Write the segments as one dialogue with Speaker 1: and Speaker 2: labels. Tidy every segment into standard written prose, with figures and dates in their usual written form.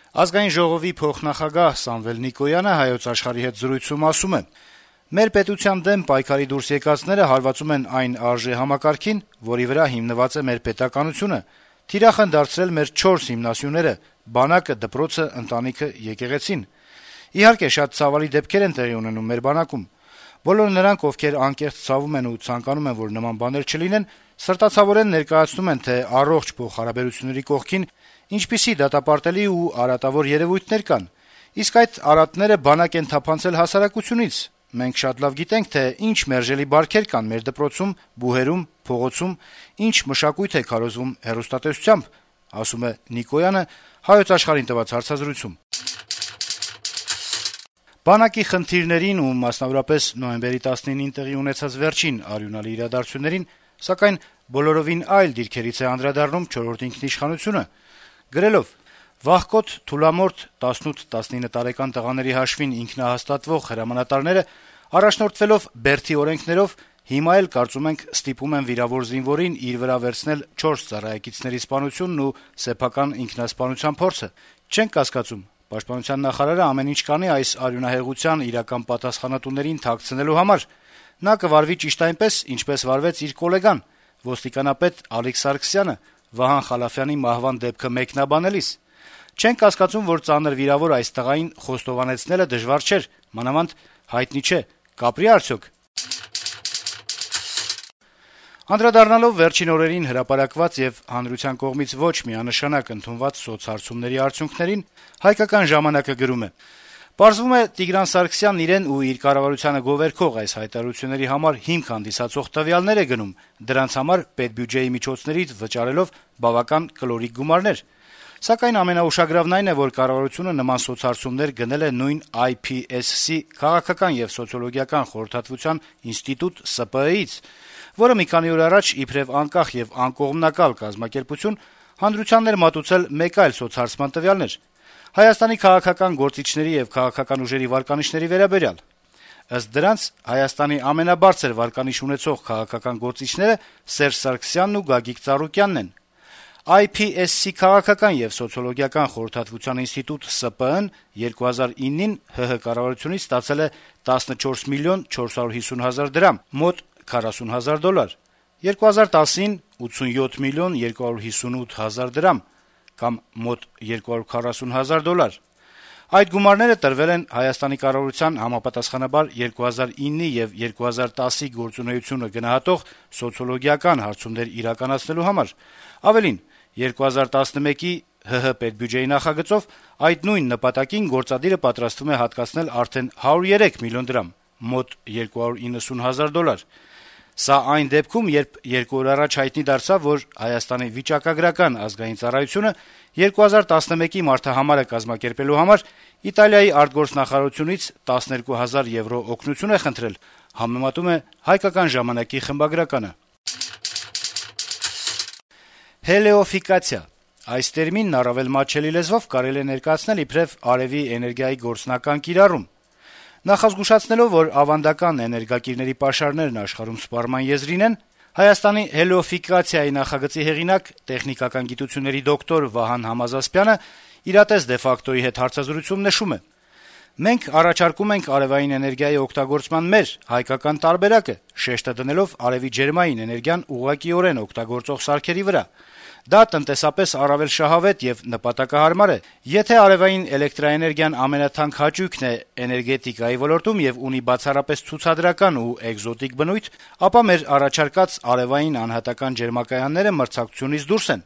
Speaker 1: Ազգային ժողովի փոխնախագահ Սամվել Նիկոյանը Հայոց Աշխարհի հետ զրույցում ասում է. «Մեր պետության դեմ պայքարի դուրս եկածները հարվածում են այն արժե համակարգին, որի վրա հիմնված է մեր պետականությունը, թիրախ են դարձրել մեր 4 հիմնասյուները՝ բանակը, դպրոցը, ընտանիքը, եկեղեցին։ Իհարկե, շատ ցավալի դեպքեր են տեղի ունենում մեր բանակում։ Բոլոր նրանք, ովքեր անկեղծ ցավում են ու ցանկանում են, որ նման բաներ չլինեն, սրտացավորեն ներկայացնում են, թե առողջ փոխհարաբերությունների կողքին ինչպիսի դատապարտելի ու արատավոր երեւույթներ կան։ Իսկ այդ արատները բանակ են թափանցել հասարակությունից։ Մենք շատ լավ գիտենք, թե ինչ մերժելի բարքեր կան մեր դպրոցում, բուհերում, փողոցում, ինչ մշակույթ է քարոզվում հեռուստատեսությամբ», ասում է Նիկոյանը Հայոց Աշխարհին տված հարցազրույցում։ Բանակի խնդիրներին ու մասնավորապես նոյեմբերի 19-ին տեղի ունեցած վերջին արյունալի իրադարձություններին, սակայն բոլորովին այլ դիրքերից է անդրադառնում «Չորրորդ ինքնիշխանությունը», գրելով. «Վաղկոտ, թուլամորթ 18-19 տարեկան տղաների հաշվին ինքնահաստատվող հրամանատարները, առաջնորդվելով Բերդի օրենքներով, հիմա էլ, կարծում ենք, ստիպում են վիրավոր զինվորին իր վրա վերցնել 4 ծառայեկիցների սպանությունն ու սեփական ինքնասպանության փորձը։ Չենք կասկածում, Պաշտպանության նախարարը ամեն ինչ կանի այս արյունահեղության իրական պատասխանատուներին թաքցնելու համար։ Նա կվարվի ճիշտ այնպես, ինչպես վարվեց իր գոլեգան, ոստիկանապետ Ալիկ Սարգսյանը, Վահան Խալաֆյանի մահվան դեպքը մեկնաբանելիս։ Չենք կասկածում, որ ծանր վիրավոր այս տղային խոստովանեցնելը դժվար չէր, մանավանդ հայտնի չէ, կապրի արդյոք»։ Անդրադառնալով վերջին օրերին հրապարակված եւ հանրության կողմից ոչ միանշանակ ընդունված սոցհարցումների արդյունքներին, «Հայկական ժամանակ»-ը գրում է. «Պարզվում է, Տիգրան Սարգսյանն իրեն ու իր կառավարությանը գովերքող այս հայտարարությունների համար հիմք հանդիսացող տվյալներ է գնում, դրանց համար պետբյուջեի միջոցներից վճարելով բավական կլորիկ գումարներ։ Սակայն ամենաուշագրավն այն է, որ կառավարությունը նման սոցհարցումներ գնել է նույն IPSC Քաղաքական եւ սոցիոլոգիական խորհրդատվության ինստիտուտ ՍՊԸ-ից, որը մի քանի օր առաջ իբրեւ անկախ եւ անկողմնակալ կազմակերպություն հանրությանն էր մատուցել մեկ այլ սոցհարցման տվյալներ Հայաստանի քաղաքական գործիչների եւ քաղաքական ուժերի վարկանիշների վերաբերյալ։ Ըստ դրանց, Հայաստանի ամենաբարձր վարկանիշ ունեցող քաղաքական գործիչները Սերժ Սարգսյանն ու Գագիկ Ծառուկյանն են։ IPSC Քաղաքական եւ սոցիոլոգիական խորհրդատվության ինստիտուտ ՍՊԸ-ն 2009-ին ՀՀ կառավարությունից ստացել է 14 միլիոն 450 հազար դրամ, մոտ $40,000, 2010-ին 87 միլիոն 258 հազար դրամ, կամ մոտ $240,000։ Այդ գումարները տրվել են Հայաստանի կառավարության համապատասխանաբար 2009-ի եւ 2010-ի գործունեությունը գնահատող սոցիոլոգիական հարցումներ իրականացնելու համար։ Ավելին, 2011-ի ՀՀ պետբյուջեի նախագծով այդ նույն նպատակին գործադիրը պատրաստվում է հատկացնել արդեն 103 միլիոն դրամ, մոտ $290,000։ Սա այն դեպքում, երբ 2 օր առաջ հայտնի դարձավ, որ Հայաստանի վիճակագրական ազգային ծառայությունը 2011-ի մարտահամարը կազմակերպելու համար Իտալիայի արտգործնախարարությունից 12,000 եվրո օգնություն է խնդրել, համեմատում է «Հայկական ժամանակ»-ի խմբագրականը։ Հելիոֆիկացիա այս տերմինն առավել մատչելի լեզվով կարելի է ներկայացնել իբրև արեւի էներգիայի գործնական կիրառում։ Նախազգուշացնելով, որ ավանդական էներգակիրների պաշարներն աշխարհում սպառման եզրին են, Հայաստանի հելիոֆիկացիայի նախագծի հեղինակ, տեխնիկական գիտությունների դոկտոր Վահան Համազասպյանը «Իրատես de facto»-ի հետ հարցազրույցում նշում է. «Մենք առաջարկում ենք արեւային էներգիայի օգտագործման մեր հայկական տարբերակը, շեշտը դնելով արեւի ջերմային էներգիան ուղղակիորեն օգտագործող սարքերի վրա։ Դա տնտեսապես առավել շահավետ եւ նպատակահարմար է։ Եթե արեւային էլեկտրաէներգիան ամենաթանկ հաճույքն է էներգետիկայի ոլորտում եւ ունի բացառապես ցուցադրական ու էկզոտիկ բնույթ, ապա մեր առաջարկած արեւային անհատական ջերմակայանները մրցակցությունից դուրս են։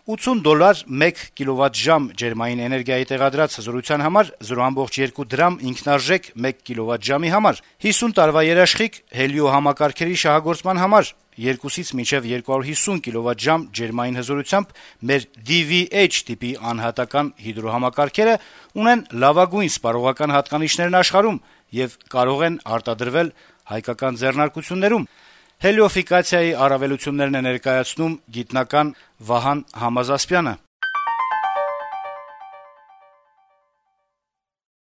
Speaker 1: $80 1 կիլովատժամ ջերմային էներգիայի տեղադրած հզորության համար 0.2 դրամ ինքնարժեք 1 կիլովատժամի համար, 50 տարվա երաշխիք հելիո համակարգերի շահագործման համար, 2-ից մինչև 250 կիլովատժամ ջերմային հզորությամբ մեր DVH տիպի անհատական հիդրոհամակարգերը ունեն լավագույն սպառողական հատկանիշներն աշխարհում եւ կարող են արտադրվել հայկական ձեռնարկություններում։ Հելիոֆիկացիայի առավելություններն է ներկայացնում գիտնական Վահան Համազասպյանը։